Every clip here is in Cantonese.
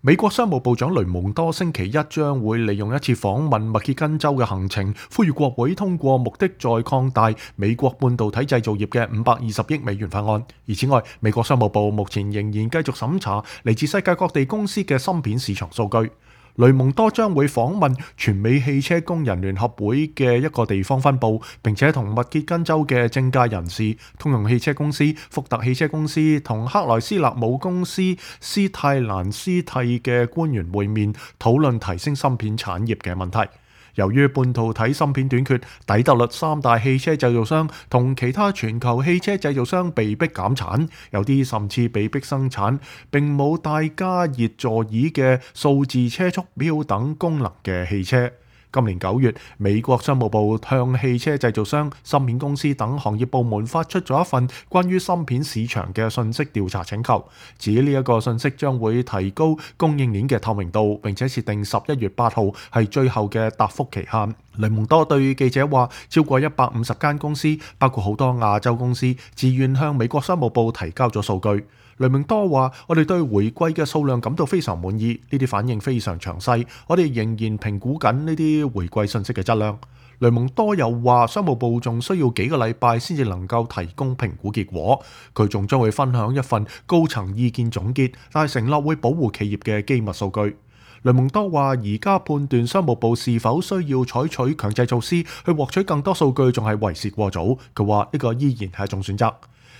美國商務部長雷蒙多星期一將會利用一次訪問密歇根州嘅行程，呼籲國會通過目的在擴大美國半導體製造業嘅520億美元法案。而此外，美國商務部目前仍然繼續審查嚟自世界各地公司嘅芯片市場數據。雷蒙多將會訪問全美汽車工人聯合會嘅一個地方分部，並且同密歇根州嘅政界人士、通用汽車公司、福特汽車公司同克萊斯勒母公司斯泰蘭斯蒂嘅官員會面，討論提升芯片產業嘅問題。由於半導體芯片短缺，底特律三大汽車製造商同其他全球汽車製造商被迫減產，有啲甚至被迫生產並冇帶加熱座椅嘅數字車速錶等功能嘅汽車。今年9月，美國商務部向汽車製造商、芯片公司等行業部門發出咗一份關於芯片市場嘅信息調查請求，指呢一個信息將會提高供應鏈嘅透明度，並且設定11月8號係最後嘅答覆期限。雷蒙多對記者話，超過150間公司，包括好多亞洲公司，自願向美國商務部提交咗數據。雷蒙多話：我哋對回饋嘅數量感到非常滿意，呢啲反應非常詳細，我哋仍然評估緊呢啲回饋信息嘅質量。雷蒙多又話，商務部仲需要幾個禮拜先至能夠提供評估結果，佢仲將會分享一份高層意見總結，但係承諾會保護企業嘅機密數據。雷蒙多話：而家判斷商務部是否需要採取強制措施去獲取更多數據，仲係為時過早。佢話呢個依然係一種選擇。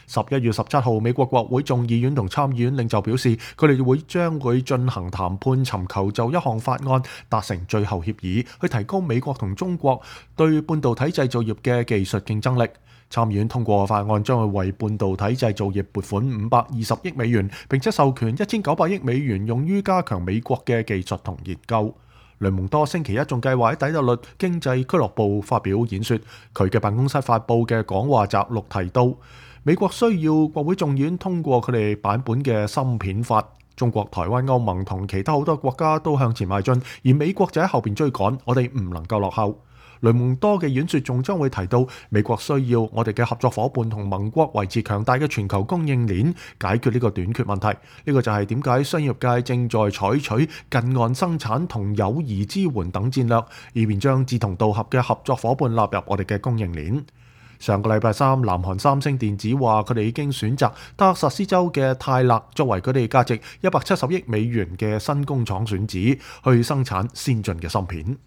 11月17號，美國國會眾議院同參議院領袖表示，佢哋將會進行談判，尋求就一項法案達成最後協議，去提高美國同中國對半導體製造業嘅技術競爭力。參議院通過法案將會為半導體製造業撥款520億美元，並且授權1900億美元用於加強美國嘅技術同研究。雷蒙多星期一仲計劃喺底特律經濟俱樂部發表演說，佢嘅辦公室發佈嘅講話摘錄提到，美國需要國會眾議院通過佢哋版本嘅芯片法，中國、台灣、歐盟同其他好多國家都向前邁進，而美國就喺後邊追趕，我哋唔能夠落後。雷蒙多嘅演說仲將會提到，美國需要我哋嘅合作夥伴同盟國維持強大嘅全球供應鏈，解決呢個短缺問題。呢個就係點解商業界正在採取近岸生產同友誼支援等戰略，以便將志同道合嘅合作夥伴納入我哋嘅供應鏈。上個禮拜三，南韓三星電子話佢哋已經選擇德克薩斯州嘅泰勒作為佢哋價值170億美元嘅新工廠選址，去生產先進嘅芯片。